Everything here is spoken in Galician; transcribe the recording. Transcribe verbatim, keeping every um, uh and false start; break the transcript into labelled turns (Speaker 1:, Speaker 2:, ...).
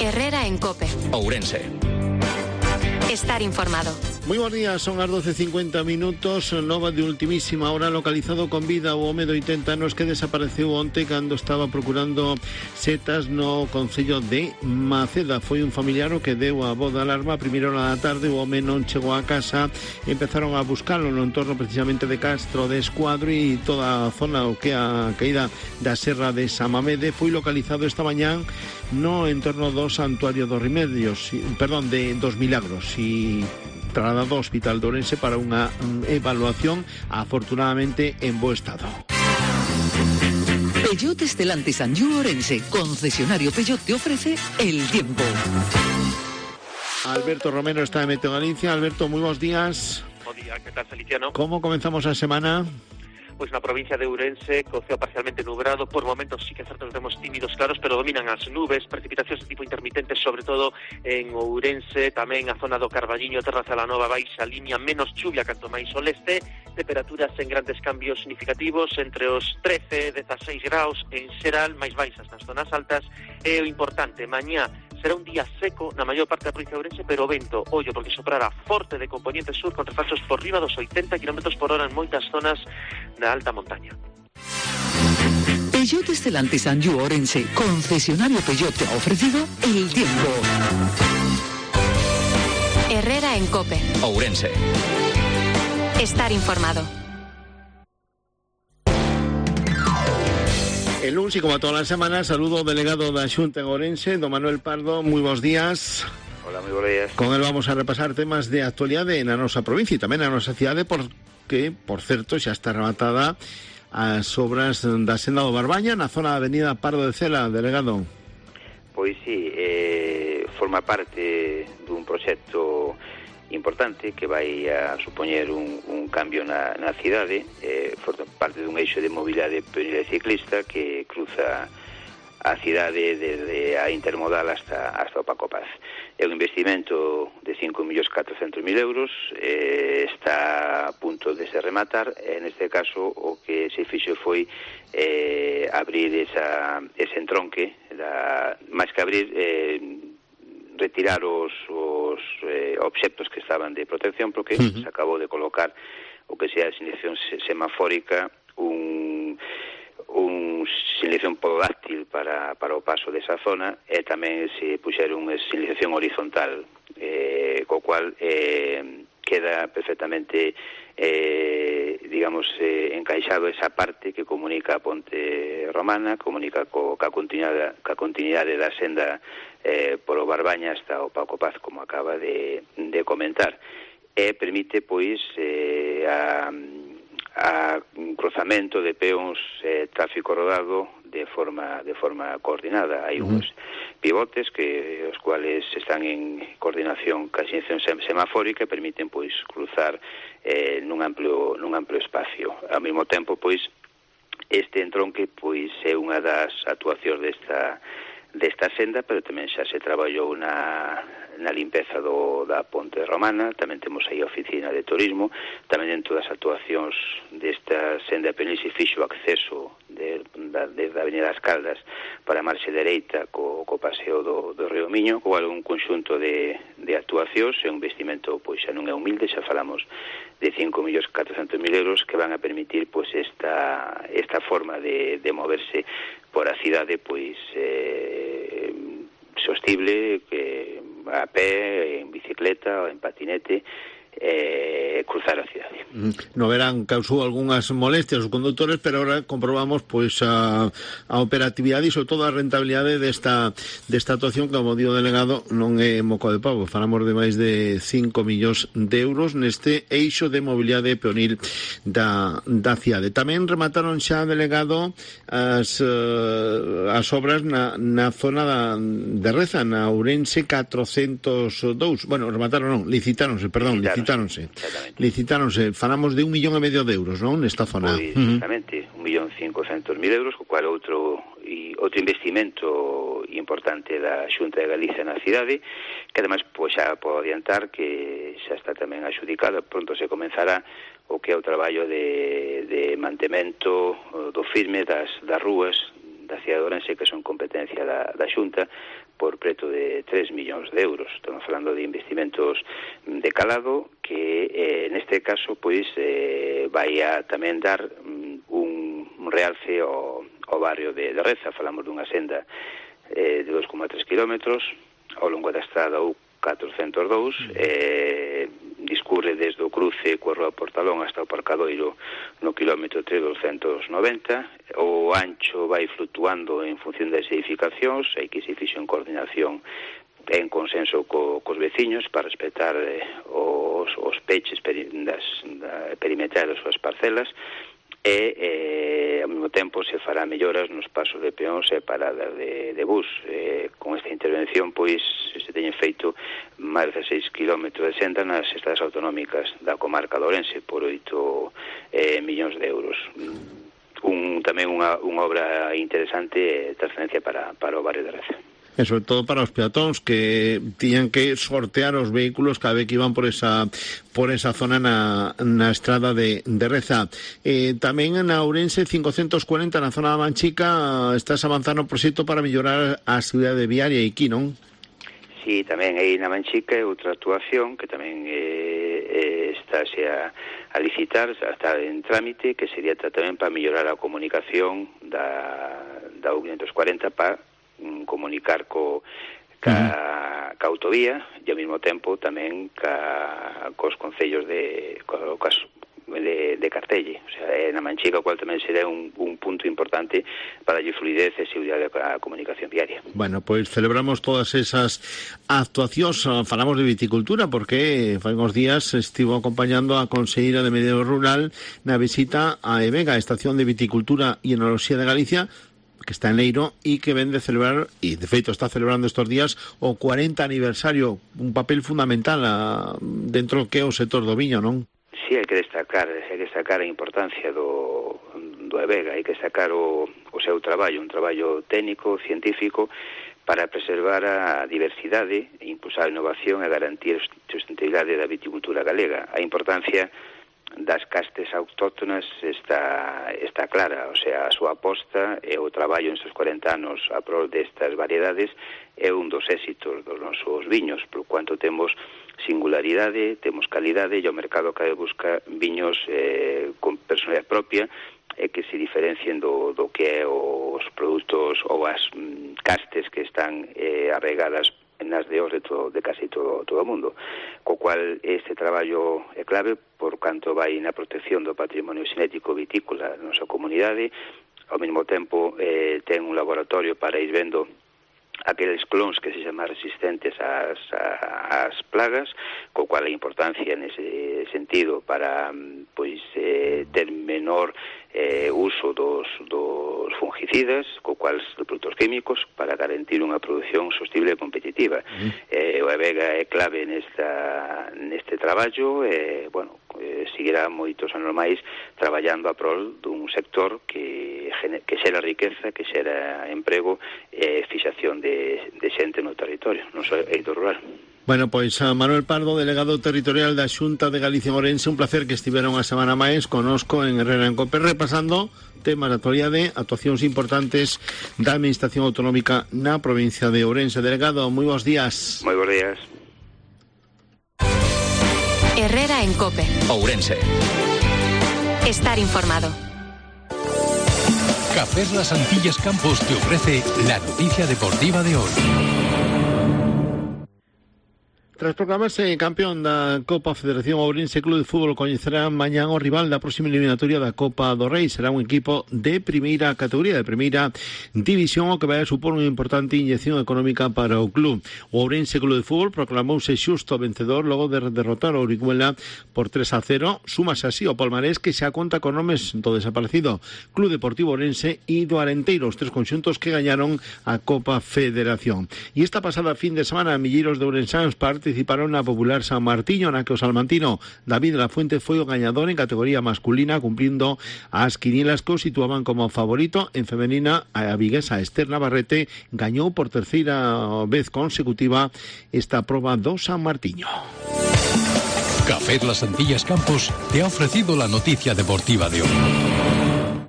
Speaker 1: Herrera en COPE.
Speaker 2: Ourense.
Speaker 1: Estar informado.
Speaker 3: Moi bons días, son as doce e cincuenta minutos. Nova de ultimísima hora, localizado con vida o home de oitenta anos que desapareceu onte cando estaba procurando setas no concello de Maceda. Foi un familiar o que deu a voz de alarma a primeira hora da tarde. O home non chegou a casa, empezaron a buscalo no entorno precisamente de Castro de Escuadro e toda a zona o que a caída da serra de Samamede. Foi localizado esta mañán no entorno do Santuario dos Remedios, perdón, de dos Milagros, e trasladado ao Hospital de Ourense para unha evaluación, afortunadamente en bo estado.
Speaker 4: Peugeot Stellantis and You Ourense, concesionario Peugeot, te ofrece el tiempo.
Speaker 3: Alberto Romero está en Meteo Galicia. Alberto, moi bons días.
Speaker 5: Bo día, que tal, Feliciano?
Speaker 3: Como comenzamos a semana?
Speaker 5: Pois na provincia de Ourense, co ceo parcialmente nublado, por momentos sí que certos temos tímidos claros, pero dominan as nubes, precipitacións de tipo intermitente, sobre todo en Ourense, tamén a zona do Carballiño, Terra Celanova, baixa línea, menos chuvia canto máis ao leste, temperaturas en grandes cambios significativos, entre os trece e dezaseis graus en xeral, máis baixas nas zonas altas, e o importante, mañá será un día seco na maior parte da provincia de Ourense, pero o vento, ollo, porque soprará forte de componente sur con refachos por riba dos oitenta kilómetros por hora en moitas zonas da alta montaña.
Speaker 4: Peugeot Stellantis and You Ourense, concesionario Peugeot, te ha ofrecido el tiempo.
Speaker 1: Herrera en COPE.
Speaker 2: Ourense.
Speaker 1: Estar informado.
Speaker 3: El lunes, y como todas las semanas, saludo ao delegado da Xunta en Ourense, don Manuel Pardo. Moi bons días.
Speaker 6: Hola, moi bons días.
Speaker 3: Con él vamos a repasar temas de actualidade na nosa provincia e tamén na nosa cidade, porque, por certo, xa está rematada as obras da senda do Barbaña na zona da avenida Pardo de Cela, delegado.
Speaker 6: Pois sí, eh, forma parte dun proxecto importante que vai a supoñer un, un cambio na, na cidade, eh, forma parte dun eixo de mobilidade peonil e ciclista que cruza a cidade desde a intermodal hasta, hasta o Paco Paz. É un investimento de cinco millóns catrocentos mil euros, eh, está a punto de se rematar, e neste caso o que se fixo foi eh, abrir esa, ese entronque, da, máis que abrir, eh, retirar os, os eh, obxectos que estaban de protección, porque uh-huh. se acabou de colocar o que sea a señalización semafórica, un, un señalización pododáctil para, para o paso desa zona, e tamén se puxeron unha señalización horizontal, eh, co cual eh, queda perfectamente eh, digamos eh, encaixado esa parte que comunica a Ponte Romana, comunica co, ca continuidade, ca continuidade da senda eh, polo Barbaña hasta o Paco Paz, como acaba de, de comentar, e permite pois eh, a, a un cruzamento de peóns, eh, tráfico rodado de forma de forma coordinada. Hai uns pivotes que os cuales están en coordinación ca señalización semafórica e permiten pois cruzar eh, nun amplio nun amplio espacio. Ao mesmo tempo, pois este entronque pois é unha das actuacións desta desta senda, pero tamén xa se traballou na, na limpeza do, da Ponte Romana, tamén temos aí a oficina de turismo, tamén dentro das actuacións desta senda peonil se fixo acceso de, da, desde a Avenida das Caldas para a marxe dereita co, co paseo do, do Río Miño, co un conxunto de, de actuacións, é un investimento pois xa non é humilde, xa falamos de cinco millóns catrocentos mil euros que van a permitir pois esta, esta forma de, de moverse por a cidade pois eh, sostible, que a pé, en bicicleta ou en patinete, eh, cruzar a cidade.
Speaker 3: No verán causou algunhas molestias os condutores, pero ahora comprobamos pois a, a operatividade e sobre todo a rentabilidade desta desta actuación que, como digo, delegado, non é moco de pavo. Falamos de máis de cinco millóns de euros neste eixo de mobilidade peonil da, da cidade. Tamén remataron xa, delegado, as, uh, as obras na, na zona da, de Reza, na Ourense catrocentos e dous. Bueno, remataron non, licitáronse, perdón, licitáronse. Licitáronse, licitáronse, falamos de un millón e medio de euros, non, nesta zona?
Speaker 6: Pois, exactamente, un millón cincocentos mil euros, co cual outro e outro investimento importante da Xunta de Galicia na cidade, que ademais pois xa podo adiantar que xa está tamén axudicado, pronto se comenzará o que é o traballo de, de mantemento do firme das, das rúas da cidade de Ourense, que son competencia da, da Xunta, por preto de tres millóns de euros. Estamos falando de investimentos de calado que, eh, neste caso, pois, eh, vai a tamén dar um, un realce ao, ao barrio de, de Reza. Falamos dunha senda eh, de dos coma tres kilómetros ao longo da estrada U catrocentos e dous, eh, discurre desde o cruce coa Rúa Portalón hasta o Parcadoiro no kilómetro tres doscientos noventa. O ancho vai fluctuando en función das edificacións, hai que se fixo en coordinación en consenso co, cos veciños para respetar eh, os, os peches peri, das, da, perimetrais das súas parcelas, e eh, ao mesmo tempo se fará melloras nos pasos de peóns e paradas de, de bus. Eh, con esta intervención, pois, se teñen feito máis de seis kilómetros de senda nas estradas autonómicas da comarca de Ourense por oito eh, millóns de euros. Un, tamén unha, unha obra interesante e trascendencia para, para o barrio de Reza.
Speaker 3: E sobre todo para os peatóns que tiñan que sortear os vehículos cada vez que iban por esa por esa zona na, na estrada de, de Reza. Eh, tamén na Ourense cincocentos cuarenta na zona da Manchica estás avanzando o proxecto para mellorar a seguridade viaria aquí, non?
Speaker 6: Sí, tamén aí na Manchica é outra actuación que tamén eh, eh, estáse a, a licitar, está en trámite, que sería tamén para mellorar a comunicación da, da U quinientos cuarenta para comunicar co ca, uh-huh. ca autovía e ao mesmo tempo tamén ca, cos concellos de, co, cas, de, de Cartelle, o sea, é na Manchica, o cual tamén será un, un punto importante para darlle fluidez e seguridade á comunicación diaria.
Speaker 3: Bueno, pois pues celebramos todas esas actuacións. Falamos de viticultura porque fai uns días estivo acompañando a conselleira de Medio Rural na visita a Evega, a Estación de Viticultura e Enoloxía de Galicia, que está en Leiro e que ven de celebrar, e de feito está celebrando estos días, o cuarenta aniversario, un papel fundamental a, dentro que é o sector do viño, non?
Speaker 6: Sí, hai que destacar, hai que destacar a importancia do, do Evega, hai que destacar o, o seu traballo, un traballo técnico, científico, para preservar a diversidade, impulsar a innovación e garantir a sustentabilidade da viticultura galega. A importancia das castes autóctonas está, está clara, o sea, a súa aposta e o traballo nestes cuarenta anos a prol destas variedades é un dos éxitos dos nosos viños, por cuanto temos singularidade, temos calidade e o mercado cada vez busca viños eh, con personalidade propia e que se diferencien do, do que é os produtos ou as mm, castes que están eh, arraigadas nas de hoxe de, todo, de casi todo, todo o mundo, co cual este traballo é clave por canto vai na protección do patrimonio xenético vitícola da nosa comunidade. Ao mesmo tempo eh, ten un laboratorio para ir vendo aqueles clons que se chaman resistentes ás, ás plagas, co cual a importancia nese sentido para pois eh, ter menor eh, uso dos, dos fungicidas, co cual dos produtos químicos, para garantir unha produción sostible e competitiva. Mm. Eh, o Evega é clave nesta, neste traballo e, eh, bueno, eh, seguirá moitos anos máis traballando a prol dun sector que, que xera riqueza, que xera emprego e fixación de, de xente no territorio, non só eido rural.
Speaker 3: Bueno, pois a Manuel Pardo, delegado territorial da Xunta de Galicia en Ourense, un placer que estiveron a semana máis conosco en Herrera en Cope, repasando temas de actualidade, actuacións importantes da Administración Autonómica na provincia de Ourense. Delegado, moi bons días.
Speaker 6: Moi bons días.
Speaker 1: Herrera en Cope.
Speaker 2: Ourense.
Speaker 1: Estar informado.
Speaker 2: Cafés Las Antillas Campos te ofrece la noticia deportiva de hoy.
Speaker 3: Tras proclamarse campeón da Copa Federación Ourense Club de Fútbol, coñecerá mañán o rival da próxima eliminatoria da Copa do Rei. Será un equipo de primeira categoría, de primeira división, o que vai a supor unha importante inyección económica para o club. O Ourense Club de Fútbol proclamouse xusto vencedor logo de derrotar o Orihuela por tres a cero. Súmase así o palmarés que xa conta con nomes do desaparecido Club Deportivo Ourense e do Arenteiro, os tres conxuntos que gañaron a Copa Federación. E esta pasada fin de semana, milleiros de ourensáns parte participaron na popular San Martiño, na que o salmantino David de la Fuente foi o gañador en categoría masculina, cumplindo as quinielas que o situaban como favorito. En femenina, a viguesa Esther Navarrete gañou por terceira vez consecutiva esta proba do San Martiño.
Speaker 2: Café Las Antillas Campos te ha ofrecido la noticia deportiva de hoy.